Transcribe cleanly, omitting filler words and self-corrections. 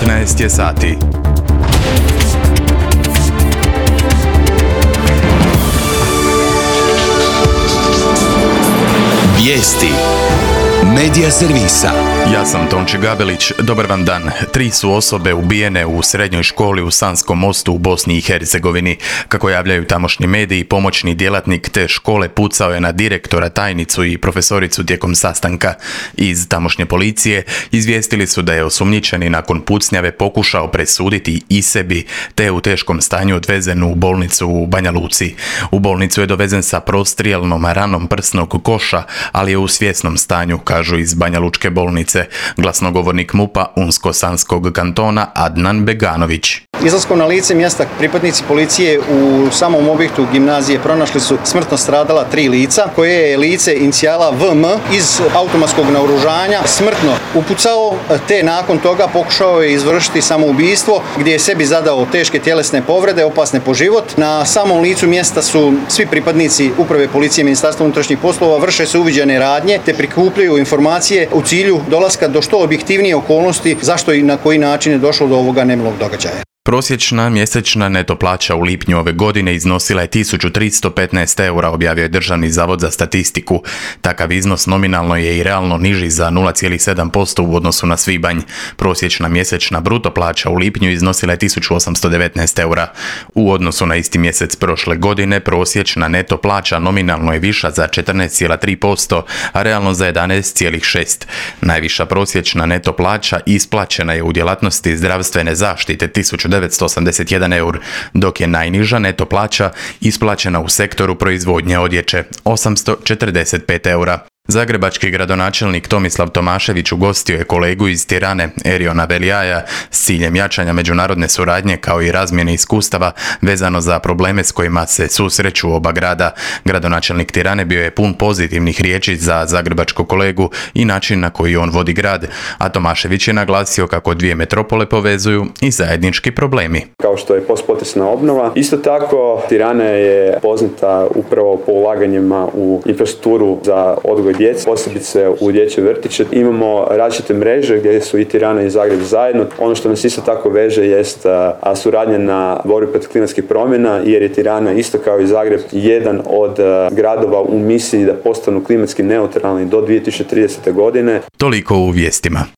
19 je sati. Vijesti Medija servisa. Ja sam Tonči Gabelić, dobar vam dan. 3 su osobe ubijene u srednjoj školi u Sanskom Mostu u Bosni i Hercegovini. Kako javljaju tamošnji mediji, pomoćni djelatnik te škole pucao je na direktora, tajnicu i profesoricu tijekom sastanka. Iz tamošnje policije izvijestili su da je osumnjičeni nakon pucnjave pokušao presuditi i sebi, te u teškom stanju odvezen u bolnicu u Banja Luci. U bolnicu je dovezen sa prostrijelnom ranom prsnog koša, ali je u svjesnom stanju, kažu iz Banja Lučke bolnice. Glasnogovornik MUP-a Unsko-Sanskog kantona Adnan Beganović. Izlaskom na lice mjesta pripadnici policije u samom objektu gimnazije pronašli su smrtno stradala 3 lica, koje je lice inicijala VM iz automatskog naoružanja smrtno upucao, te nakon toga pokušao je izvršiti samoubistvo gdje je sebi zadao teške tjelesne povrede, opasne po život. Na samom licu mjesta su svi pripadnici Uprave policije Ministarstva unutrašnjih poslova, vrše se uviđene radnje te prikupljaju informacije u cilju dolaska do što objektivnije okolnosti zašto i na koji način je došlo do ovoga nemilog događaja. Prosječna mjesečna neto plaća u lipnju ove godine iznosila je 1315 eura, objavio je Državni zavod za statistiku. Takav iznos nominalno je i realno niži za 0,7% u odnosu na svibanj. Prosječna mjesečna bruto plaća u lipnju iznosila je 1819 eura. U odnosu na isti mjesec prošle godine prosječna neto plaća nominalno je viša za 14,3%, a realno za 11,6%. Najviša prosječna neto plaća isplaćena je u djelatnosti zdravstvene zaštite 1981 eur, dok je najniža neto plaća isplaćena u sektoru proizvodnje odjeće 845 eura. Zagrebački gradonačelnik Tomislav Tomašević ugostio je kolegu iz Tirane, Eriona Velijaja, s ciljem jačanja međunarodne suradnje kao i razmjene iskustava vezano za probleme s kojima se susreću oba grada. Gradonačelnik Tirane bio je pun pozitivnih riječi za zagrebačkog kolegu i način na koji on vodi grad, a Tomašević je naglasio kako dvije metropole povezuju i zajednički problemi. Kao što je postpotresna obnova, isto tako Tirana je poznata upravo po ulaganjima u infrastrukturu za odgoj djece, posebice u dječje vrtiće. Imamo različite mreže gdje su i Tirana i Zagreb zajedno. Ono što nas isto tako veže jest suradnja na borbi protiv klimatskih promjena, jer je Tirana isto kao i Zagreb jedan od gradova u misiji da postanu klimatski neutralni do 2030. godine. Toliko u vijestima.